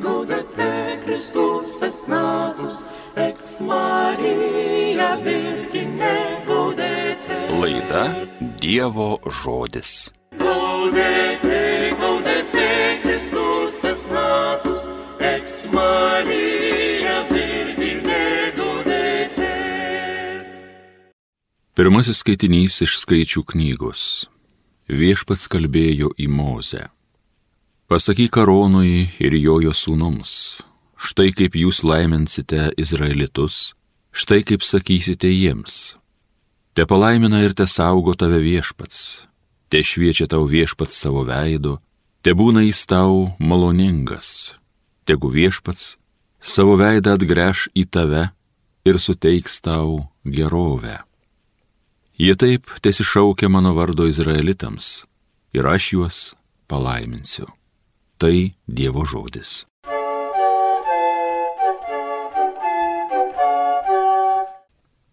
Gaudete, Christus es natus, ex Maria Virgine gaudete. Laida Dievo žodis. Gaudete, Christus es natus, ex Maria Virgine gaudete. Pirmasis skaitinys iš Skaičių knygos. Viešpats kalbėjo į Mozę. Pasakyk Aronui ir jo sūnums, štai kaip jūs laiminsite Izraelitus, štai kaip sakysite jiems. Te palaimina ir te saugo tave Viešpats, te šviečia tau Viešpats savo veidu, te būna jis tau maloningas, tegu Viešpats savo veidą atgręš į tave ir suteiks tau gerovę. Jie taip tesišaukia mano vardo Izraelitams ir aš juos palaiminsiu. Tai Dievo žodis.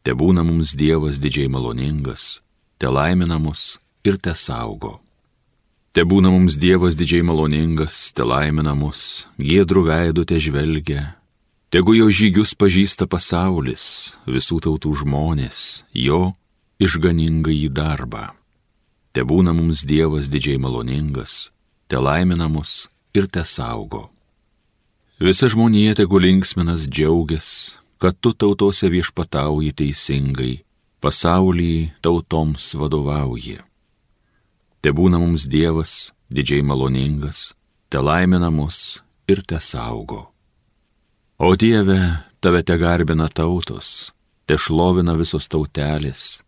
Te būna mums Dievas didžiai maloningas, te laimina mus ir te saugo. Te būna mums Dievas didžiai maloningas, te laimina mus, giedrų veidu te žvelgia. Tegu jo žygius pažįsta pasaulis, visų tautų žmonės, jo išganingąjį darbą. Te būna mums Dievas didžiai maloningas, te laimina mus ir te saugo. Visa žmonija tegu linksminas džiaugias, kad tu tautose viešpatauji teisingai, pasaulį tautoms vadovauji. Te būna mums Dievas didžiai maloningas, te laimina mus ir te saugo. O Dieve, tave te garbina tautos, te šlovina visos tautelės,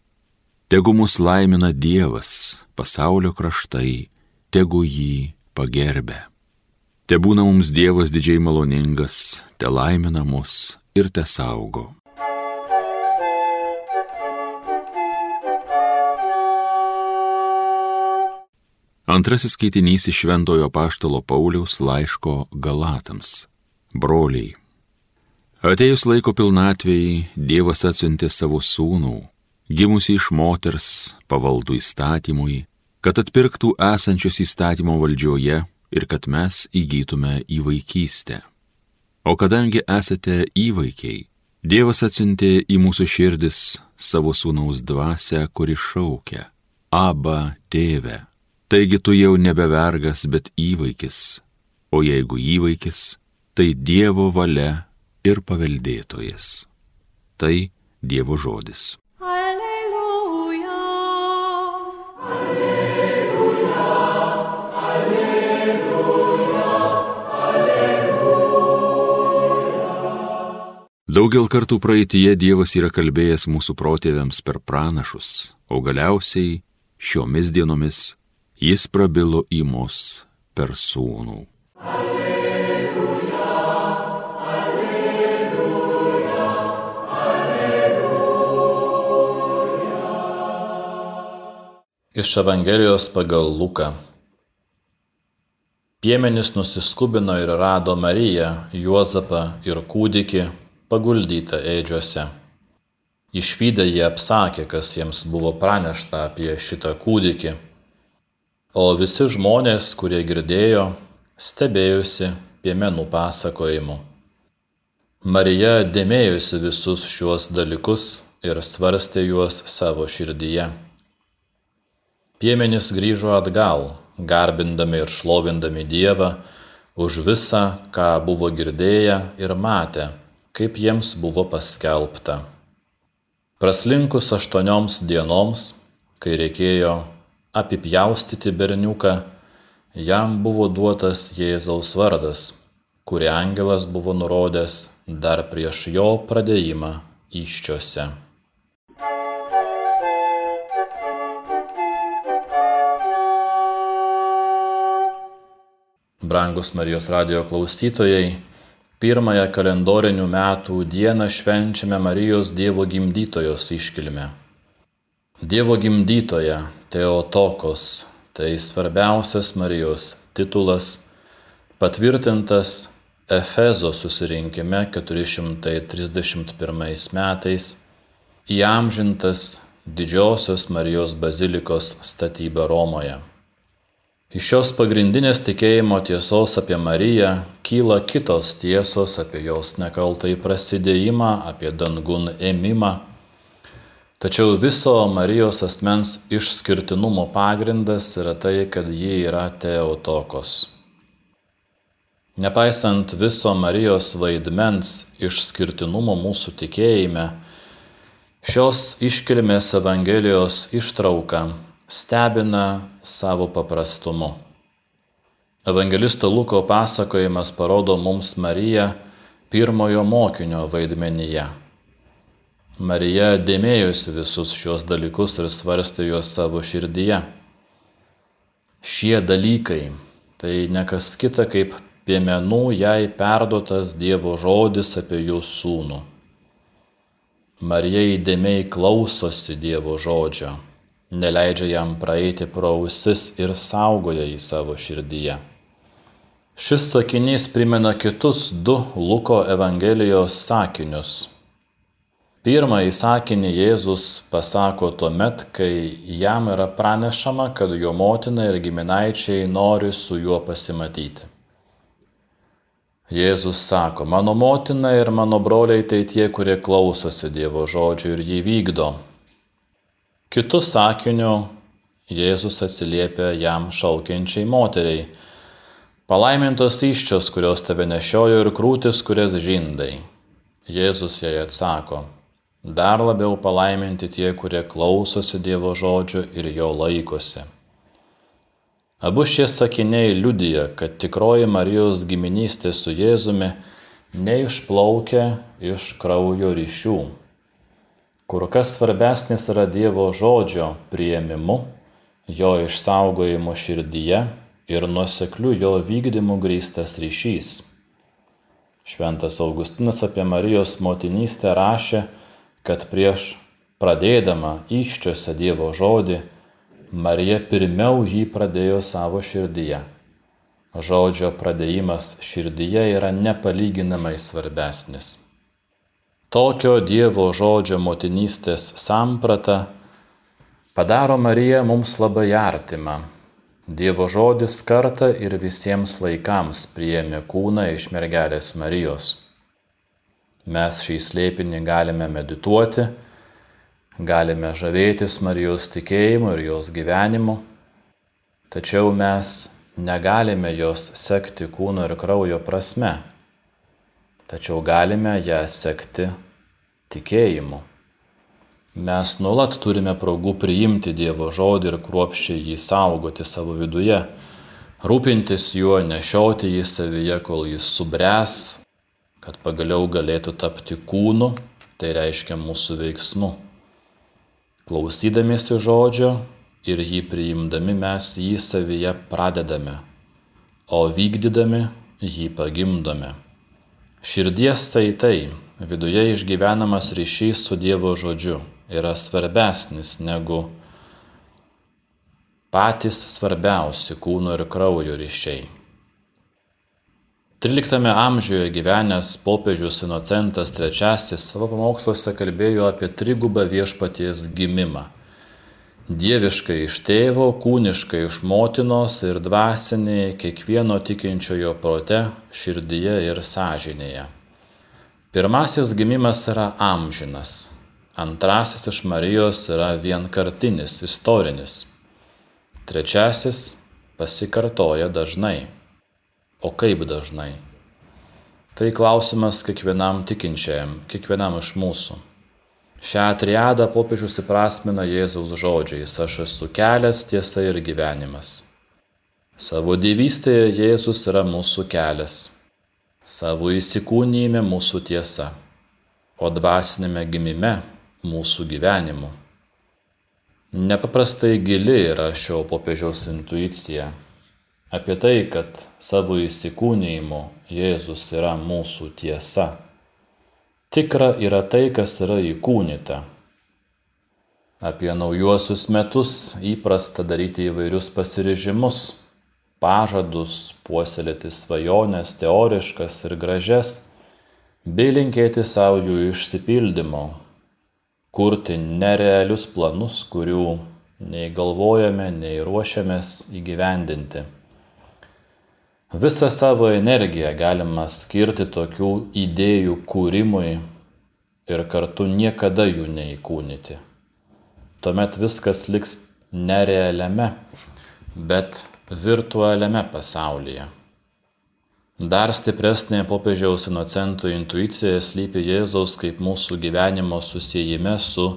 tegu mus laimina Dievas, pasaulio kraštai, tegu jį pagerbia. Te būna mums Dievas didžiai maloningas, te laimina mus ir te saugo. Antrasis skaitinys iš Šventojo apaštalo Pauliaus laiško Galatams. Broliai, atėjus laiko pilnatvei, Dievas atsiuntė savo sūnų, gimusį iš moters, pavaldų įstatymui, kad atpirktų esančius įstatymo valdžioje ir kad mes įgytume įvaikystę. O kadangi esate įvaikiai, Dievas atsiuntė į mūsų širdis savo sūnaus dvasią, kuri šaukia: Aba, tėve. Taigi tu jau nebe vergas, bet įvaikis. O jeigu įvaikis, tai Dievo valia ir paveldėtojas. Tai Dievo žodis. Daugel kartų praeityje Dievas yra kalbėjęs mūsų protėviams per pranašus, o galiausiai šiomis dienomis jis prabilo į mus per sūnų. Alleluja, alleluja, alleluja. Iš Evangelijos pagal Luką. Piemenys nusiskubino ir rado Mariją, Juozapą ir kūdikį paguldytą ėdžiose. Išvydę jie apsakė, kas jiems buvo pranešta apie šitą kūdikį, o visi žmonės, kurie girdėjo, stebėjosi piemenų pasakojimu. Marija dėmėjosi visus šiuos dalykus ir svarstė juos savo širdyje. Piemenys grįžo atgal, garbindami ir šlovindami Dievą už visą, ką buvo girdėję ir matę, kaip jiems buvo paskelbta. Praslinkus 8 dienoms, kai reikėjo apipjaustyti berniuką, jam buvo duotas Jėzaus vardas, kurį angelas buvo nurodęs dar prieš jo pradėjimą įsčiose. Brangus Marijos radijo klausytojai, pirmąją kalendorinių metų dieną švenčiame Marijos Dievo gimdytojos iškilmę. Dievo gimdytoja Theotokos, tai svarbiausias Marijos titulas, patvirtintas Efezo susirinkime 431 metais, įamžintas Didžiosios Marijos bazilikos statyba Romoje. Iš šios pagrindinės tikėjimo tiesos apie Mariją kyla kitos tiesos apie jos nekaltąjį prasidėjimą, apie dangun ėmimą. Tačiau viso Marijos asmens išskirtinumo pagrindas yra tai, kad ji yra Theotokos. Nepaisant viso Marijos vaidmens išskirtinumo mūsų tikėjime, šios iškilmės Evangelijos ištrauka stebina savo paprastumu. Evangelisto Luko pasakojimas parodo mums Mariją pirmojo mokinio vaidmenyje. Marija dėmėjosi visus šios dalykus ir svarstė juos savo širdyje. Šie dalykai tai nekas kita kaip piemenų jai perduotas Dievo žodis apie jų sūnų. Marija įdėmiai klausosi Dievo žodžio, neleidžia jam praeiti pro ausis ir saugoja jį savo širdyje. Šis sakinys primena kitus du Luko Evangelijos sakinius. Pirmąjį sakinį Jėzus pasako tuomet, kai jam yra pranešama, kad jo motina ir giminaičiai nori su juo pasimatyti. Jėzus sako, mano motina ir mano broliai tai tie, kurie klausosi Dievo žodžio ir jį vykdo. Kitu sakiniu Jėzus atsiliepia jam šaukiančiai moteriai. Palaimintos įsčios, kurios tave nešiojo ir krūtis, kurias žindai. Jėzus jai atsako, dar labiau palaiminti tie, kurie klausosi Dievo žodžio ir jo laikosi. Abu šie sakiniai liudija, kad tikroji Marijos giminystė su Jėzumi neišplaukia iš kraujo ryšių. Kur kas svarbesnis yra Dievo žodžio priėmimu, jo išsaugojimo širdyje ir nuosekliu jo vykdymu grįstas ryšys. Šventas Augustinas apie Marijos motinystę rašė, kad prieš pradėdama įsčiose Dievo žodį, Marija pirmiau jį pradėjo savo širdyje. Žodžio pradėjimas širdyje yra nepalyginamai svarbesnis. Tokio Dievo žodžio motinystės samprata padaro Mariją mums labai artimą. Dievo žodis kartą ir visiems laikams priėmė kūną iš mergelės Marijos. Mes šį slėpinį galime medituoti, galime žavėtis Marijos tikėjimu ir jos gyvenimu, tačiau mes negalime jos sekti kūno ir kraujo prasme, tačiau galime ją sekti tikėjimu. Mes nuolat turime progų priimti Dievo žodį ir kruopščiai jį saugoti savo viduje, rūpintis juo, nešioti jį savyje, kol jis subręs, kad pagaliau galėtų tapti kūnu, tai reiškia mūsų veiksmu. Klausydamiesi žodžio ir jį priimdami mes jį savyje pradedame, o vykdydami jį pagimdome. Širdies saitai, viduje išgyvenamas ryšys su Dievo žodžiu yra svarbesnis negu patys svarbiausi kūno ir kraujo ryšiai. 13 amžiuje gyvenęs popiežius Inocentas III savo pamoksluose kalbėjo apie trigubą viešpaties gimimą. Dieviškai iš tėvo, kūniškai iš motinos ir dvasinį kiekvieno tikinčiojo prote, širdyje ir sąžinėje. Pirmasis gimimas yra amžinas, antrasis iš Marijos yra vienkartinis, istorinis, trečiasis pasikartoja dažnai. O kaip dažnai? Tai klausimas kiekvienam tikinčiajam, kiekvienam iš mūsų. Šią triadą popiežius įprasmina Jėzaus žodžiais: aš esu kelias, tiesa ir gyvenimas. Savo dievystėje Jėzus yra mūsų kelias, savo įsikūnijime mūsų tiesa, o dvasinėme gimime mūsų gyvenimu. Nepaprastai gili yra šio popiežiaus intuicija apie tai, kad savo įsikūnijimu Jėzus yra mūsų tiesa. Tikra yra tai, kas yra įkūnyta. Apie naujuosius metus įprasta daryti įvairius pasiryžimus, pažadus, puoselėti svajones teoriškas ir gražias, bei linkėti savo jų išsipildymo, kurti nerealius planus, kurių nei galvojame, nei ruošiamės įgyvendinti. Visą savo energiją galima skirti tokių idėjų kūrimui ir kartu niekada jų neįkūnyti. Tuomet viskas liks nerealiame, bet virtualiame pasaulyje. Dar stipresnė popiežiaus Inocento intuicija slypi Jėzaus kaip mūsų gyvenimo susiejime su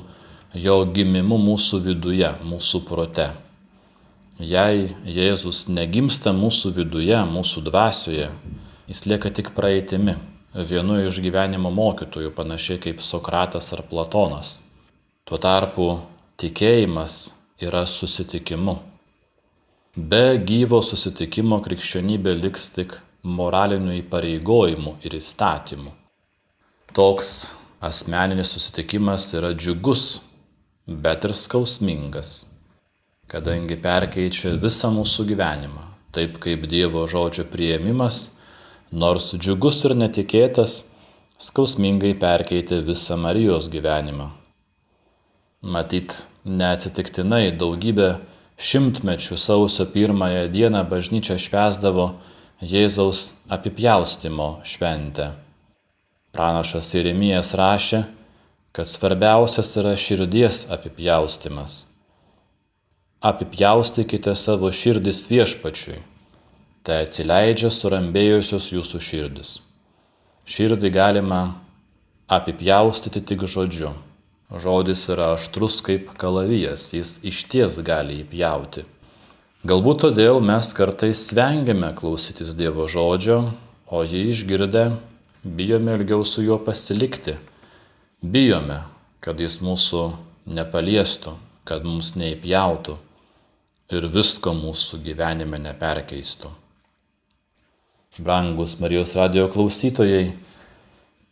jo gimimu mūsų viduje, mūsų prote. Jei Jėzus negimsta mūsų viduje, mūsų dvasioje, jis lieka tik praeitimi, vienu iš gyvenimo mokytojų, panašiai kaip Sokratas ar Platonas. Tuo tarpu tikėjimas yra susitikimu. Be gyvo susitikimo krikščionybė liks tik moralinių įpareigojimų ir įstatymų. Toks asmeninis susitikimas yra džiugus, bet ir skausmingas, kadangi perkeičia visą mūsų gyvenimą, taip kaip Dievo žodžio priėmimas, nors džiugus ir netikėtas, skausmingai perkeitė visą Marijos gyvenimą. Matyt, neatsitiktinai daugybę šimtmečių sausio 1 dieną bažnyčia švęsdavo Jėzaus apipjaustymo šventę. Pranašas Jeremijas rašė, kad svarbiausias yra širdies apipjaustymas. Apipjaustykite savo širdis Viešpačiui, tai atsileidžia surambėjusios jūsų širdis. Širdį galima apipjaustyti tik žodžiu. Žodis yra aštrus kaip kalavijas, jis išties gali įpjauti. Galbūt todėl mes kartais vengiame klausytis Dievo žodžio, o jį išgirdę bijome ilgiau su juo pasilikti. Bijome, kad jis mūsų nepaliestų, kad mums neįpjautų ir visko mūsų gyvenime neperkeistų. Brangus Marijos radijo klausytojai,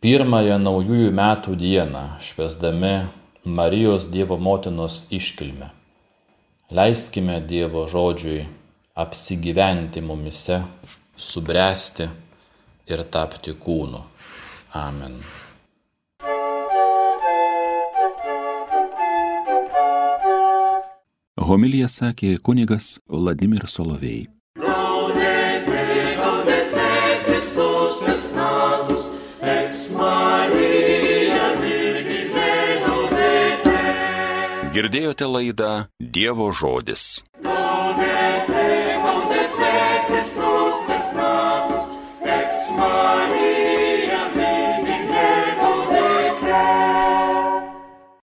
1 naujųjų metų dieną, švęsdami Marijos Dievo motinos iškilmę, leiskime Dievo žodžiui apsigyventi mumyse, subręsti ir tapti kūnu. Amen. Homiliją sakė kunigas Vladimir Solovej. Gaudete, gaudete, Kristus natus, ex Marija Virgine gaudete. Girdėjote laidą Dievo žodis. Gaudete, gaudete, Kristus natus, ex Marija